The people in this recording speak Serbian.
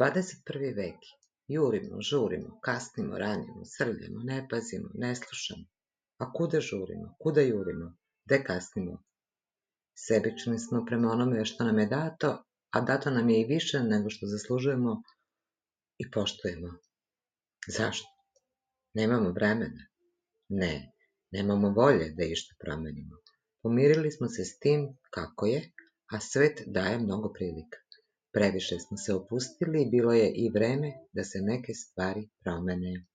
21. vek. Jurimo, žurimo, kasnimo, ranimo, srljamo, ne pazimo, ne slušamo. A kuda žurimo, kuda jurimo, gde kasnimo? Sebični smo prema onome što nam je dato, a dato nam je i više nego što zaslužujemo i poštujemo. Zašto? Nemamo vremena? Ne, nemamo volje da išta promenimo. Pomirili smo se s tim kako je, a svet daje mnogo prilika. Previše smo se opustili i bilo je i vreme da se neke stvari promene.